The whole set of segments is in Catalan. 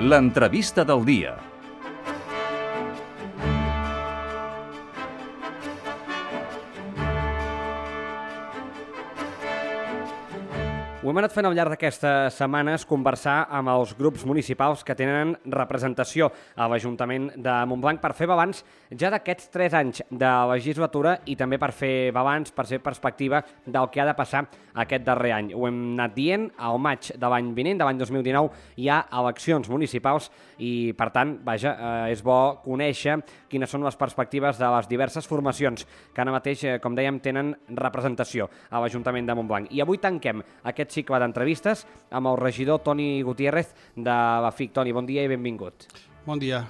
L'entrevista del dia. Ho hem anat fent al llarg d'aquestes setmanes conversar amb els grups municipals que tenen representació a l'Ajuntament de Montblanc per fer balanç ja d'aquests 3 anys de legislatura i també per fer balanç, per fer perspectiva del que ha de passar aquest darrer any. Ho hem anat dient, al maig de l'any vinent, de l'any 2019, hi ha eleccions municipals i, per tant, és bo conèixer quines són les perspectives de les diverses formacions que ara mateix, com dèiem, tenen representació a l'Ajuntament de Montblanc. I avui tanquem aquest cicle d'entrevistes amb el regidor Toni Gutiérrez de la FIC. Toni, bon dia i benvingut. Bon dia.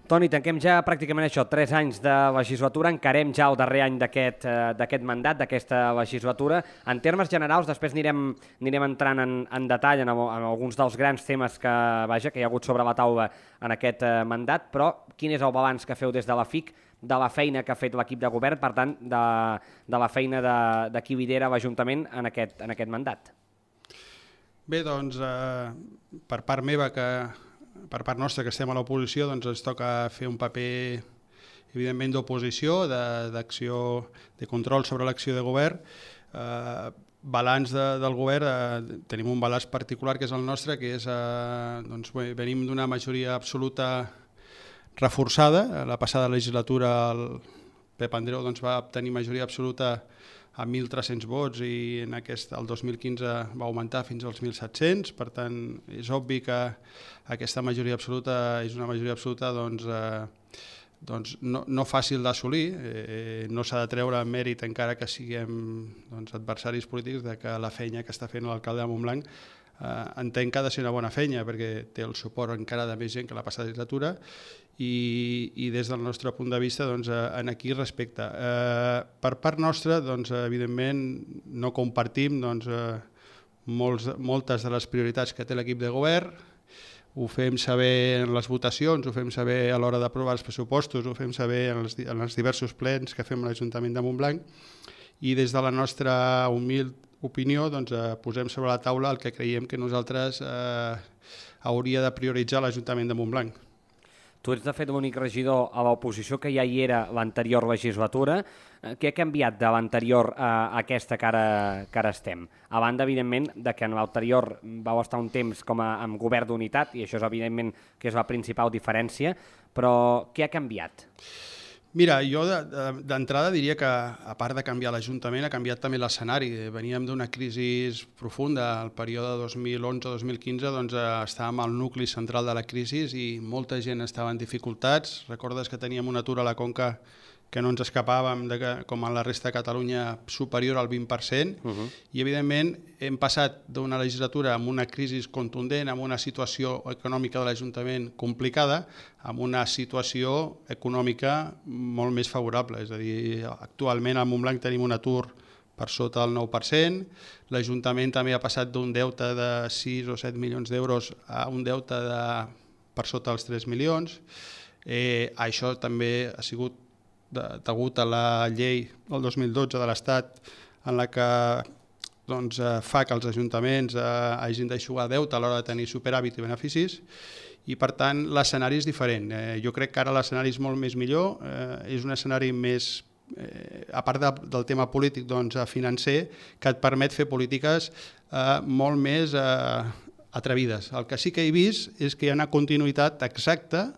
Toni, tanquem ja pràcticament això, 3 anys de legislatura, encarem ja el darrer any d'aquest mandat, d'aquesta legislatura. En termes generals, després anirem entrant en detall en alguns dels grans temes que hi ha hagut sobre la taula en aquest mandat, però quin és el balanç que feu des de la FIC de la feina que ha fet l'equip de govern, per tant, de la feina de qui lidera l'Ajuntament en aquest mandat? Bé, doncs, per part meva, per part nostra, que estem a l'oposició, doncs ens toca fer un paper, evidentment, d'oposició, d'acció, de control sobre l'acció de govern. Balanç del govern, tenim un balanç particular que és el nostre, que és, venim d'una majoria absoluta reforçada. La passada legislatura el Pep Andreu va obtenir majoria absoluta amb 1.300 vots i el 2015 va augmentar fins als 1.700, per tant és obvi que aquesta majoria absoluta és una majoria absoluta no fàcil d'assolir, no s'ha de treure mèrit encara que siguem adversaris polítics de que la feina que està fent l'alcalde de Montblanc entenc que ha de ser una bona feina perquè té el suport encara de més gent que la passada legislatura i des del nostre punt de vista en aquí respecte. Per part nostra, evidentment, no compartim moltes de les prioritats que té l'equip de govern, ho fem saber en les votacions, ho fem saber a l'hora d'aprovar els pressupostos, ho fem saber en els diversos plens que fem a l'Ajuntament de Montblanc i des de la nostra humil opinió posem sobre la taula el que creiem que nosaltres hauria de prioritzar l'Ajuntament de Montblanc. Tu ets, de fet, l'únic regidor a l'oposició que ja hi era l'anterior legislatura. Què ha canviat de l'anterior a aquesta que ara estem? A banda, evidentment, de que en l'anterior vau estar un temps com amb govern d'unitat, i això és, evidentment, que és la principal diferència, però què ha canviat? Mira, jo d'entrada diria que, a part de canviar l'Ajuntament, ha canviat també l'escenari. Veníem d'una crisi profunda, el període 2011-2015 estàvem al nucli central de la crisi i molta gent estava en dificultats. Recordes que teníem un atur a la Conca que no ens escapàvem, com a la resta de Catalunya, superior al 20%, i evidentment hem passat d'una legislatura amb una crisi contundent, amb una situació econòmica de l'Ajuntament complicada, amb una situació econòmica molt més favorable. És a dir, actualment a Montblanc tenim un atur per sota del 9%, l'Ajuntament també ha passat d'un deute de 6 o 7 milions d'euros a un deute per sota dels 3 milions. Això també ha sigut degut a la llei del 2012 de l'Estat en la que fa que els ajuntaments hagin d'eixugar deute a l'hora de tenir superàvit i beneficis i per tant l'escenari és diferent. Jo crec que ara l'escenari és molt més millor, és un escenari més, a part del tema polític, financer, que et permet fer polítiques molt més atrevides. El que sí que he vist és que hi ha una continuïtat exacta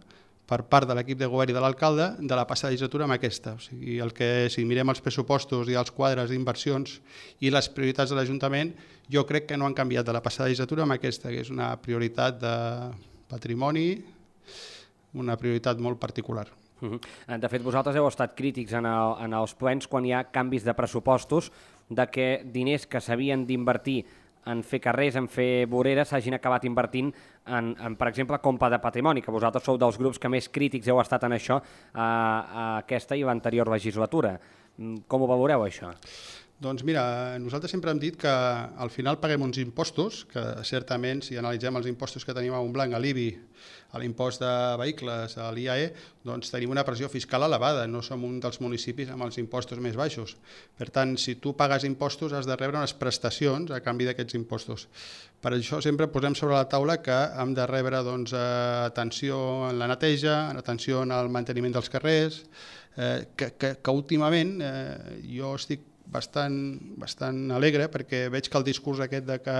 per part de l'equip de govern i de l'alcalde de la passada legislatura amb aquesta. O sigui, si mirem els pressupostos i els quadres d'inversions i les prioritats de l'Ajuntament, jo crec que no han canviat de la passada legislatura amb aquesta, que és una prioritat de patrimoni, una prioritat molt particular. De fet, vosaltres heu estat crítics en els plens quan hi ha canvis de pressupostos, de que diners que s'havien d'invertir en fer carrers, en fer voreres, s'hagin acabat invertint per exemple, compra de patrimoni, que vosaltres sou dels grups que més crítics heu estat en això a aquesta i l'anterior legislatura. Com ho valoreu, això? Doncs mira, nosaltres sempre hem dit que al final paguem uns impostos, que certament, si analitzem els impostos que tenim a Montblanc, a l'IBI, a l'impost de vehicles, a l'IAE, doncs tenim una pressió fiscal elevada, no som un dels municipis amb els impostos més baixos. Per tant, si tu pagues impostos, has de rebre unes prestacions a canvi d'aquests impostos. Per això sempre posem sobre la taula que hem de rebre atenció en la neteja, atenció en el manteniment dels carrers, que últimament jo estic bastant alegre perquè veig que el discurs aquest de que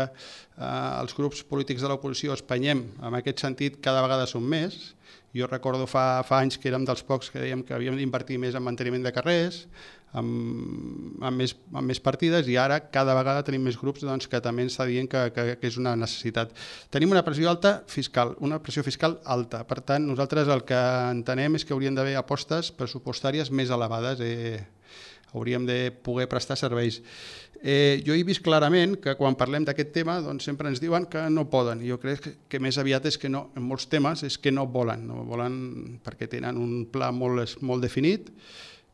els grups polítics de l'oposició espanyem en aquest sentit cada vegada són més. Jo recordo fa anys que érem dels pocs que dèiem que havíem d'invertir més en manteniment de carrers, amb més partides, i ara cada vegada tenim més grups que també ens està dient que és una necessitat. Tenim una pressió fiscal alta, per tant nosaltres el que entenem és que haurien d'haver apostes pressupostàries més elevades, hauríem de poder prestar serveis. Jo he vist clarament que quan parlem d'aquest tema sempre ens diuen que no poden. Jo crec que més aviat és que no, en molts temes és que no volen perquè tenen un pla molt definit,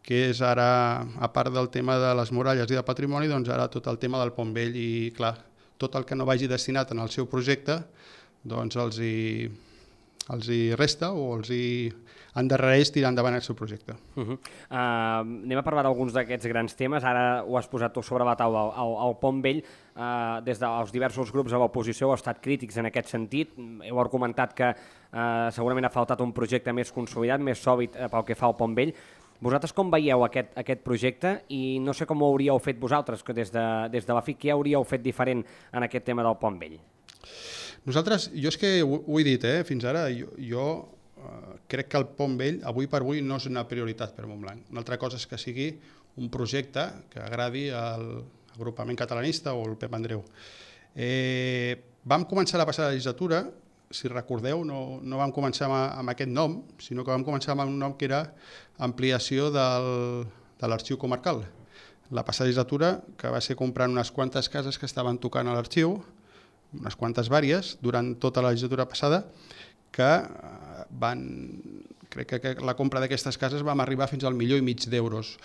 que és ara, a part del tema de les muralles i de patrimoni, doncs ara tot el tema del Pont Vell, i clar, tot el que no vagi destinat en el seu projecte doncs els hi resta o els hi endarrereix tirar endavant el seu projecte. Anem a parlar d'alguns d'aquests grans temes. Ara ho has posat tu sobre la taula, el Pont Vell. Des dels diversos grups de l'oposició heu estat crítics en aquest sentit. Heu argumentat que segurament ha faltat un projecte més consolidat, més sòlid pel que fa al Pont Vell. Vosaltres com veieu aquest projecte i no sé com ho hauríeu fet vosaltres, que des de la FIC, què hauríeu fet diferent en aquest tema del Pont Vell? Nosaltres, jo és que ho he dit, fins ara, jo crec que el Pont Vell, avui per avui, no és una prioritat per Montblanc. Una altra cosa és que sigui un projecte que agradi al agrupament catalanista o al Pep Andreu. Vam començar la passada legislatura, si recordeu, no vam començar amb aquest nom, sinó que vam començar amb un nom que era ampliació de l'arxiu comarcal. La passada legislatura, que va ser comprant unes quantes cases que estaven tocant a l'arxiu, unes quantes vàries, durant tota la legislatura passada, que crec que la compra d'aquestes cases vam arribar fins al 1,5 milió d'euros.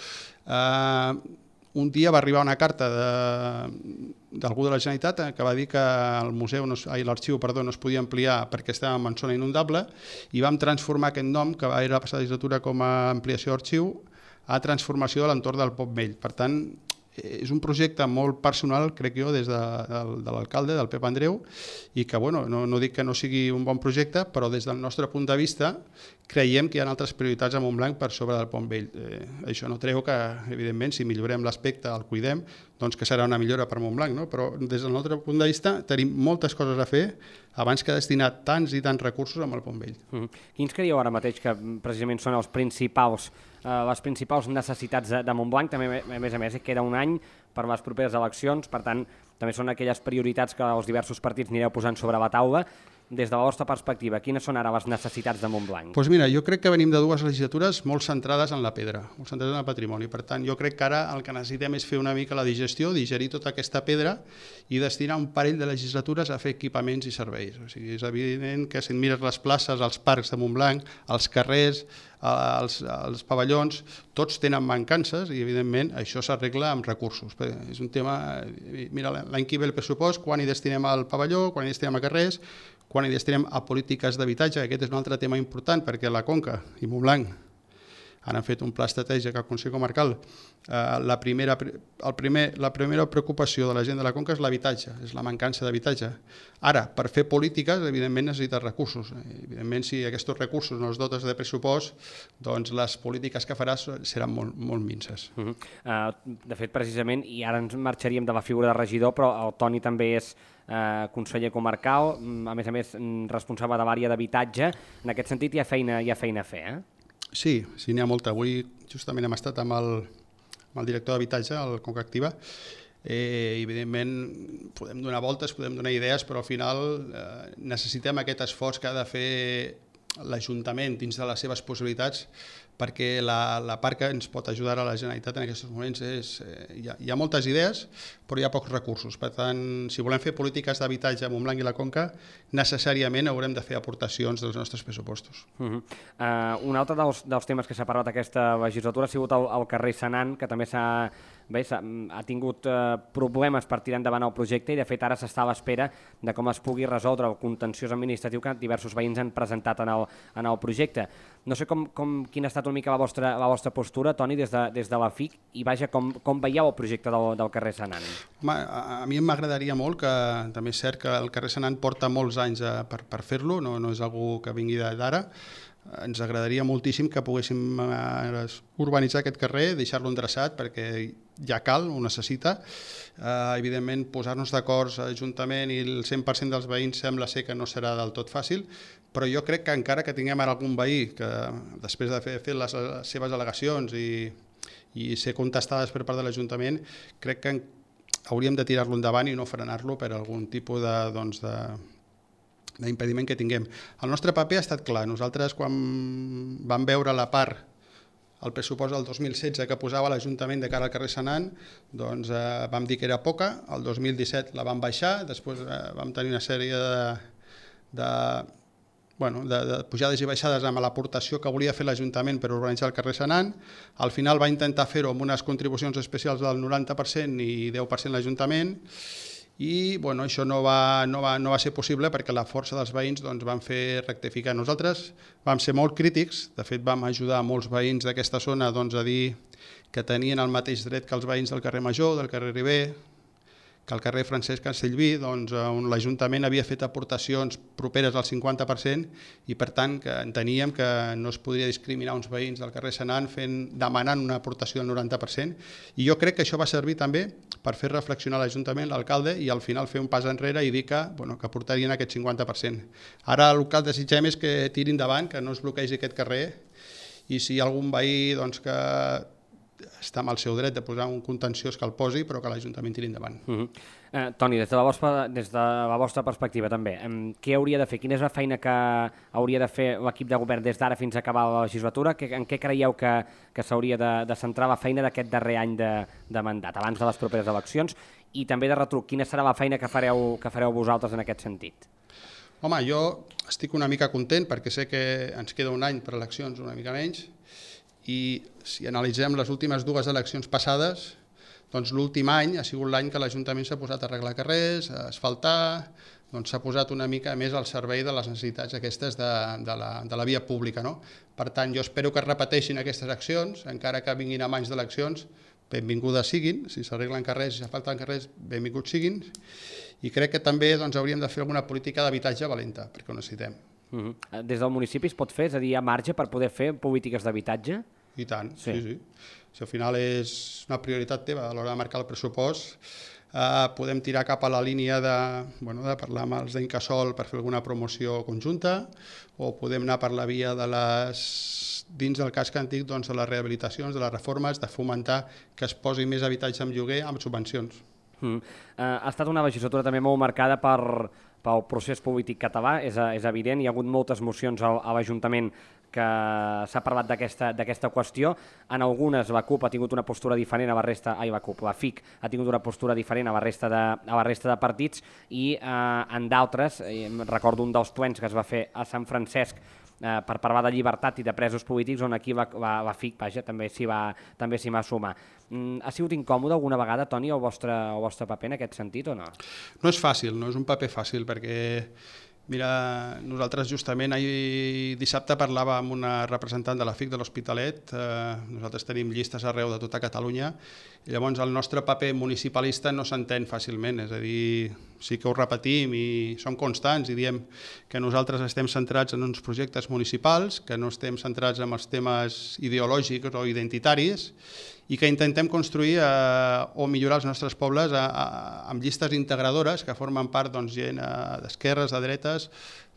Un dia va arribar una carta d'algú de la Generalitat que va dir que l'arxiu no es podia ampliar perquè estàvem en zona inundable, i vam transformar aquest nom, que era la passada legislatura com a ampliació d'arxiu, a transformació de l'entorn del Pont Vell. Per tant, és un projecte molt personal, crec jo, des de l'alcalde, del Pep Andreu, i que, no dic que no sigui un bon projecte, però des del nostre punt de vista creiem que hi ha altres prioritats a Montblanc per sobre del Pont Vell. Això no treu que, evidentment, si millorem l'aspecte, el cuidem, doncs que serà una millora per Montblanc, no? Però des del nostre punt de vista tenim moltes coses a fer abans que destinar tants i tants recursos amb el Pont Vell. Quins creieu ara mateix que precisament són les principals necessitats de Montblanc? També, a més, queda un any per les properes eleccions, per tant, també són aquelles prioritats que els diversos partits anireu posant sobre la taula. Des de la vostra perspectiva, quines són ara les necessitats de Montblanc? Doncs mira, jo crec que venim de dues legislatures molt centrades en la pedra, molt centrades en el patrimoni. Per tant, jo crec que ara el que necessitem és fer una mica la digestió, digerir tota aquesta pedra i destinar un parell de legislatures a fer equipaments i serveis. O sigui, és evident que si mires les places, els parcs de Montblanc, els carrers, els pavellons, tots tenen mancances i, evidentment, això s'arregla amb recursos. És un tema... Mira, l'any que ve el pressupost, quan hi destinem al pavelló, quan hi destinem a carrers, quan hi destinem a polítiques d'habitatge. Aquest és un altre tema important perquè la Conca i Montblanc han fet un pla estratègic al Consell Comarcal. La primera preocupació de la gent de la Conca és l'habitatge, és la mancança d'habitatge. Ara, per fer polítiques, evidentment necessites recursos. Evidentment, si aquests recursos no els dotes de pressupost, doncs les polítiques que faràs seran molt minses. De fet, precisament, i ara ens marxaríem de la figura de regidor, però el Toni també és conseller comarcal, a més, responsable de l'àrea d'habitatge. En aquest sentit hi ha feina a fer, Sí, n'hi ha molta. Avui justament hem estat amb el director d'habitatge, el Conca Activa. Evidentment podem donar voltes, podem donar idees, però al final necessitem aquest esforç que ha de fer l'Ajuntament dins de les seves possibilitats, perquè la part que ens pot ajudar a la Generalitat en aquests moments és... Hi ha moltes idees, però hi ha pocs recursos. Per tant, si volem fer polítiques d'habitatge a Montblanc i la Conca, necessàriament haurem de fer aportacions dels nostres pressupostos. Un altre dels temes que s'ha parlat aquesta legislatura ha sigut el carrer Senan, que també ha tingut problemes per tirar endavant el projecte i de fet ara s'està a l'espera de com es pugui resoldre el contenciós administratiu que diversos veïns han presentat en el projecte. No sé quina ha estat una mica la vostra postura, Toni, des de la FIC i vaja, com veieu el projecte del carrer Senan? Home, a mi m'agradaria molt, que també és cert que el carrer Senan porta molts anys per fer-lo, no és algú que vingui d'ara. Ens agradaria moltíssim que poguéssim urbanitzar aquest carrer, deixar-lo endreçat perquè ja cal, ho necessita. Evidentment, posar-nos d'acord l'Ajuntament i el 100% dels veïns sembla ser que no serà del tot fàcil, però jo crec que encara que tinguem ara algun veí que després de fer les seves al·legacions i ser contestades per part de l'Ajuntament, crec que hauríem de tirar-lo endavant i no frenar-lo per algun tipus d'impediment que tinguem. El nostre paper ha estat clar. Nosaltres, quan vam veure la part, el pressupost del 2016 que posava l'Ajuntament de cara al carrer Senan, doncs vam dir que era poca, el 2017 la vam baixar, després vam tenir una sèrie de pujades i baixades amb l'aportació que volia fer l'Ajuntament per urbanitzar el carrer Senan. Al final va intentar fer-ho amb unes contribucions especials del 90% i 10% l'Ajuntament, i això no va ser possible perquè la força dels veïns van fer rectificar. Nosaltres vam ser molt crítics, de fet vam ajudar molts veïns d'aquesta zona a dir que tenien el mateix dret que els veïns del carrer Major, del carrer Ribé, que al carrer Francesc Castellví, on l'Ajuntament havia fet aportacions properes al 50% i per tant que enteníem que no es podria discriminar uns veïns del carrer Senan demanant una aportació del 90%, i jo crec que això va servir també per fer reflexionar l'Ajuntament, l'alcalde, i al final fer un pas enrere i dir que aportarien aquest 50%. Ara el que desitgem és que tiri endavant, que no es bloquegi aquest carrer, i si hi ha algun veí que està amb el seu dret de posar un contenciós que el posi, però que l'Ajuntament tiri endavant. Toni, des de la vostra perspectiva també, què hauria de fer? Quina és la feina que hauria de fer l'equip de govern des d'ara fins a acabar la legislatura? En què creieu que s'hauria de centrar la feina d'aquest darrer any de mandat, abans de les properes eleccions? I també de retruc, quina serà la feina que fareu vosaltres en aquest sentit? Home, jo estic una mica content perquè sé que ens queda un any per eleccions, una mica menys, i si analitzem les últimes dues eleccions passades, doncs l'últim any ha sigut l'any que l'Ajuntament s'ha posat a arreglar carrers, a asfaltar, s'ha posat una mica més al servei de les necessitats aquestes de la via pública. Per tant, jo espero que es repeteixin aquestes accions, encara que vinguin a anys d'eleccions, benvingudes siguin, si s'arreglen carrers, si s'asfalten carrers, benvinguts siguin, i crec que també hauríem de fer alguna política d'habitatge valenta, perquè ho necessitem. Des del municipi es pot fer? És a dir, hi ha marge per poder fer polítiques d'habitatge? I tant, sí. Si al final és una prioritat teva a l'hora de marcar el pressupost, podem tirar cap a la línia de parlar amb els d'Incasòl per fer alguna promoció conjunta, o podem anar per la via dins del casc antic, de les rehabilitacions, de les reformes, de fomentar que es posi més habitatge en lloguer amb subvencions. Ha estat una legislatura també molt marcada pel procés polític català, és evident, hi ha hagut moltes mocions a l'Ajuntament que s'ha parlat d'aquesta qüestió. En algunes la CUP ha tingut una postura diferent a la resta, la FIC ha tingut una postura diferent a la resta de partits, i en d'altres, recordo un dels plens que es va fer a Sant Francesc per parlar de llibertat i de presos polítics, on aquí la FIC també s'hi va sumar. Ha sigut incòmode alguna vegada, Toni, el vostre paper en aquest sentit o no? No és fàcil, no és un paper fàcil, perquè mira, nosaltres justament ahir dissabte parlàvem amb una representant de la FIC de l'Hospitalet. Nosaltres tenim llistes arreu de tota Catalunya, i llavors el nostre paper municipalista no s'entén fàcilment, és a dir, sí que ho repetim i som constants i diem que nosaltres estem centrats en uns projectes municipals, que no estem centrats en els temes ideològics o identitaris, i que intentem construir o millorar els nostres pobles amb llistes integradores que formen part gent d'esquerres, de dretes,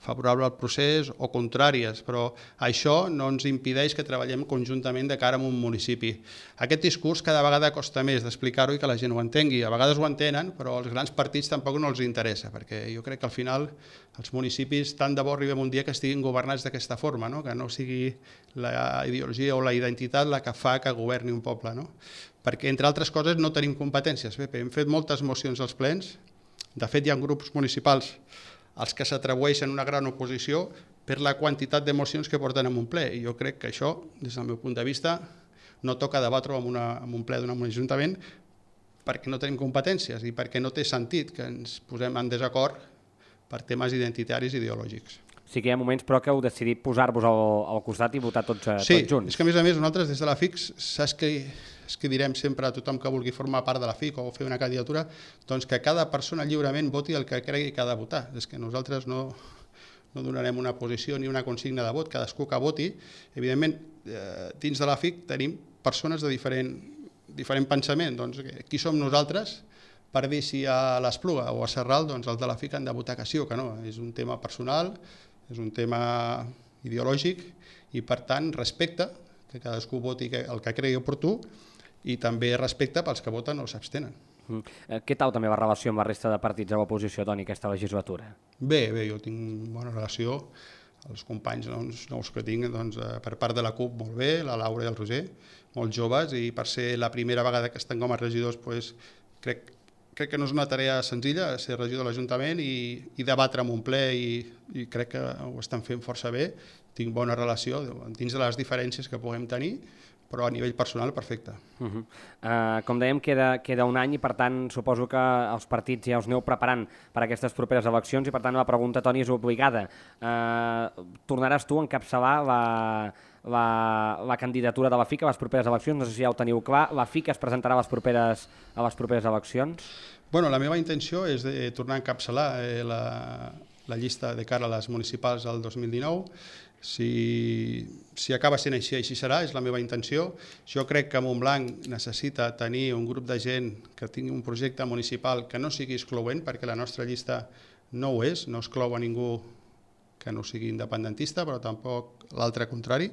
favorable al procés o contràries, però això no ens impedeix que treballem conjuntament de cara a un municipi. Aquest discurs cada vegada costa més d'explicar-ho i que la gent ho entengui. A vegades ho entenen, però als grans partits tampoc no els interessa, perquè jo crec que al final els municipis tant de bo arribem un dia que estiguin governats d'aquesta forma, no? Que no sigui la ideologia o la identitat la que fa que governi un poble, no? Perquè, entre altres coses, no tenim competències. Bé, hem fet moltes mocions als plens, de fet hi ha grups municipals els que s'atribueixen una gran oposició per la quantitat de mocions que porten en un ple. I jo crec que això, des del meu punt de vista, no toca debatre-ho en un ple d'un ajuntament perquè no tenim competències i perquè no té sentit que ens posem en desacord per temes identitaris i ideològics. Sí que hi ha moments, però, que heu decidit posar-vos al costat i votar tots junts. Sí, és que a més nosaltres des de la FIC, saps que direm sempre a tothom que vulgui formar part de la FIC o fer una candidatura, doncs que cada persona lliurement voti el que cregui que ha de votar. És que nosaltres no donarem una posició ni una consigna de vot, cadascú que voti. Evidentment, dins de la FIC tenim persones de diferent pensament. Doncs, qui som nosaltres per dir si a l'Espluga o a Sarral els de la FIC han de votar que sí o que no? És un tema personal, és un tema ideològic i, per tant, respecte que cadascú voti el que cregui oportú i també respecte pels que voten o s'abstenen. Què tal també la relació amb la resta de partits de l'oposició, Toni, aquesta legislatura? Bé, jo tinc bona relació. Els companys nous que tinc per part de la CUP molt bé, la Laura i el Roger, molt joves, i per ser la primera vegada que estan com a regidors crec que no és una tarea senzilla ser regidor de l'Ajuntament i debatre en un ple i crec que ho estan fent força bé. Tinc bona relació dins de les diferències que puguem tenir, però a nivell personal perfecte. Com dèiem, queda un any i per tant suposo que els partits ja us aneu preparant per a aquestes properes eleccions i per tant la pregunta, Toni, és obligada. Tornaràs tu a encapçalar la candidatura de la FIC a les properes eleccions? No sé si ja ho teniu clar. La FIC es presentarà a les properes eleccions? Bueno, la meva intenció és de tornar a encapçalar la llista de cara a les municipals del 2019. Si acaba sent així, així serà, és la meva intenció. Jo crec que Montblanc necessita tenir un grup de gent que tingui un projecte municipal que no sigui excloent, perquè la nostra llista no ho és, no exclou a ningú que no sigui independentista, però tampoc l'altre contrari.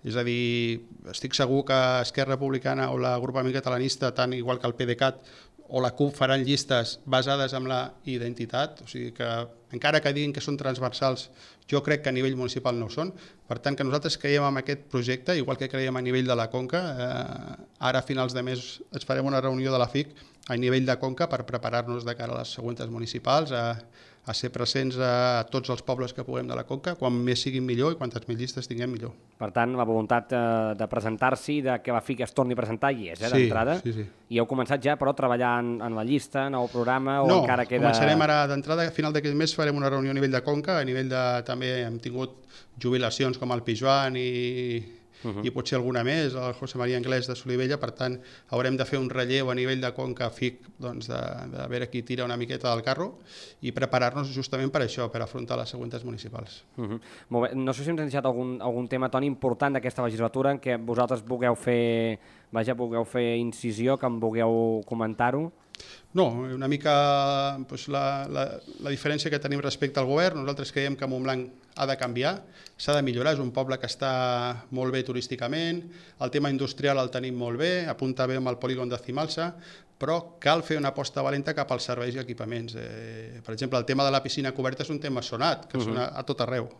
És a dir, estic segur que Esquerra Republicana o l'agrupament catalanista, tant igual que el PDeCAT o la CUP, faran llistes basades en la identitat, o sigui que encara que diguin que són transversals, jo crec que a nivell municipal no ho són. Per tant, que nosaltres creiem en aquest projecte, igual que creiem a nivell de la Conca. Ara a finals de mes ens farem una reunió de la FIC a nivell de Conca per preparar-nos de cara a les següents municipals, a ser presents a tots els pobles que puguem de la Conca, quan més siguin millor i quantes més llistes tinguem millor. Per tant, la voluntat de presentar-s'hi, de que la FIC es torni a presentar hi és, d'entrada? Sí. I heu començat ja, però, a treballar en la llista, en el programa, o encara queda... No, començarem ara d'entrada, a final d'aquest mes farem una reunió a nivell de Conca, a nivell de... també hem tingut jubilacions com el Pijuan i potser alguna més, el José María Anglès de Solivella, per tant haurem de fer un relleu a nivell de Conca FIC, de veure qui tira una miqueta del carro i preparar-nos justament per això, per afrontar les següents municipals. Molt bé. No sé si ens hem deixat algun tema, Toni, important d'aquesta legislatura en què vosaltres vulgueu fer incisió, que em vulgueu comentar-ho. No, una mica la diferència que tenim respecte al govern. Nosaltres creiem que Montblanc ha de canviar, s'ha de millorar, és un poble que està molt bé turísticament, el tema industrial el tenim molt bé, apunta bé amb el polígon de Cimalsa, però cal fer una aposta valenta cap als serveis i equipaments. Per exemple, el tema de la piscina coberta és un tema sonat, que sona a tot arreu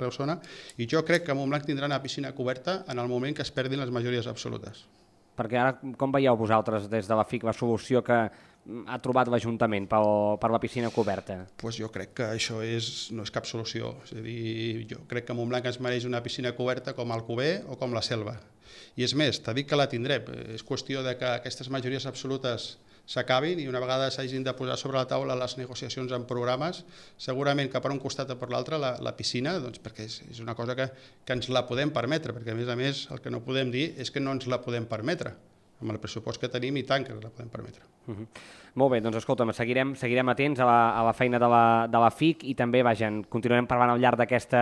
sona, i jo crec que Montblanc tindrà una piscina coberta en el moment que es perdin les majories absolutes. Perquè ara, com veieu vosaltres des de la FIC la solució que ha trobat l'Ajuntament per la piscina coberta? Pues jo crec que això no és cap solució. És a dir, jo crec que Montblanc es mereix una piscina coberta com Alcover o com la Selva. I és més, t'ha dit que la tindrem. És qüestió de que aquestes majories absolutes s'acabin i una vegada s'hagin de posar sobre la taula les negociacions en programes, segurament que per un costat o per l'altre la piscina, perquè és una cosa que ens la podem permetre, perquè a més el que no podem dir és que no ens la podem permetre. amb el pressupost que tenim i tant que la podem permetre. Molt bé, doncs escolta'm, seguirem atents a la feina de la FIC i també, vaja, continuarem parlant al llarg d'aquesta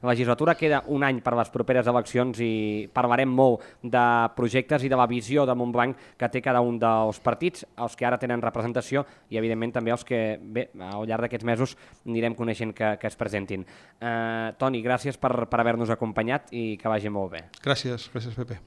legislatura. Queda un any per les properes eleccions i parlarem molt de projectes i de la visió de Montblanc que té cada un dels partits, els que ara tenen representació i, evidentment, també els que, bé, al llarg d'aquests mesos anirem coneixent que es presentin. Toni, gràcies per haver-nos acompanyat i que vagi molt bé. Gràcies, Pepe.